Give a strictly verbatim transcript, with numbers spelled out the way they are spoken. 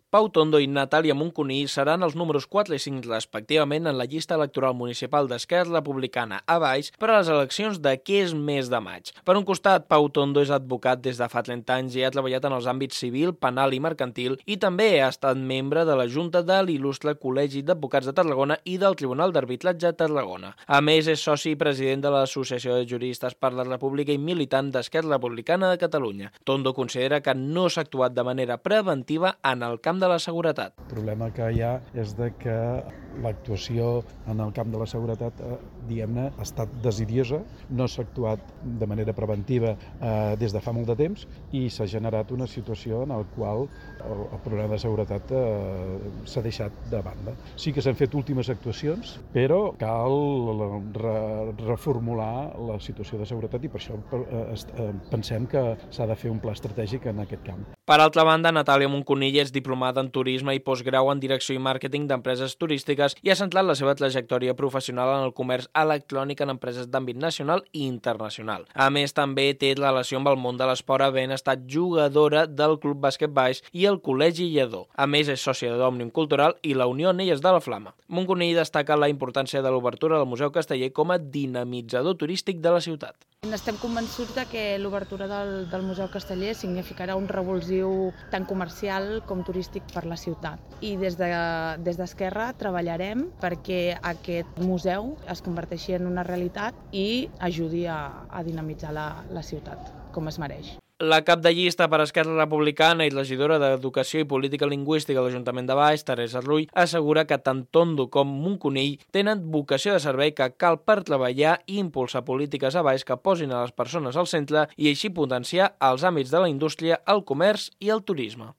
Pau Tondo i Natàlia Moncunill seran els números quatre i cinc respectivament en la llista electoral municipal d'Esquerra Republicana a Valls per a les eleccions d'aquest mes de maig. Per un costat, Pau Tondo és advocat des de fa trenta anys i ha treballat en els àmbits civil, penal i mercantil i també ha estat membre de la Junta de l'Il·lustre Col·legi d'Advocats de Tarragona i del Tribunal d'Arbitratge de Tarragona. A més, és soci i president de l'Associació de Juristes per la República i militant d'Esquerra Republicana de Catalunya. Tondo considera que no s'ha actuat de manera preventiva en el camp de la seguretat. El problema que hi ha és de que l'actuació en el camp de la seguretat, eh, diguem-ne, ha estat desidiosa, no s'ha actuat de manera preventiva eh, des de fa molt de temps i s'ha generat una situació en la qual el, el problema de seguretat eh, s'ha deixat de banda. Sí que s'han fet últimes actuacions, però cal re, reformular la situació de seguretat i per això eh, pensem que s'ha de fer un pla estratègic en aquest camp. Per altra banda, Natàlia Moncunill és diplomada en turisme i postgrau en direcció i màrqueting d'empreses turístiques i ha centrat la seva trajectòria professional en el comerç electrònic en empreses d'àmbit nacional i internacional. A més, també té relació amb el món de l'esport, havent estat jugadora del Club Bàsquet Valls i el Col·legi Lledó. A més, és sòcia d'Òmnium Cultural i la Unió Anelles de la Flama. Moncunill destaca la importància de l'obertura del Museu Casteller com a dinamitzador turístic de la ciutat. Estem convençuts que l'obertura del, del Museu Casteller significarà un revulsiu tant comercial com turístic per la ciutat. I des de, des d'Esquerra treballarem perquè aquest museu es converteixi en una realitat i ajudi a, a dinamitzar la, la ciutat, com es mereix. La cap de llista per Esquerra Republicana i regidora d'Educació i Política Lingüística de l'Ajuntament de Valls, Teresa Rull, assegura que tant Tondo com Moncunill tenen vocació de servei que cal per treballar i impulsar polítiques a Valls que posin a les persones al centre i així potenciar els àmbits de la indústria, el comerç i el turisme.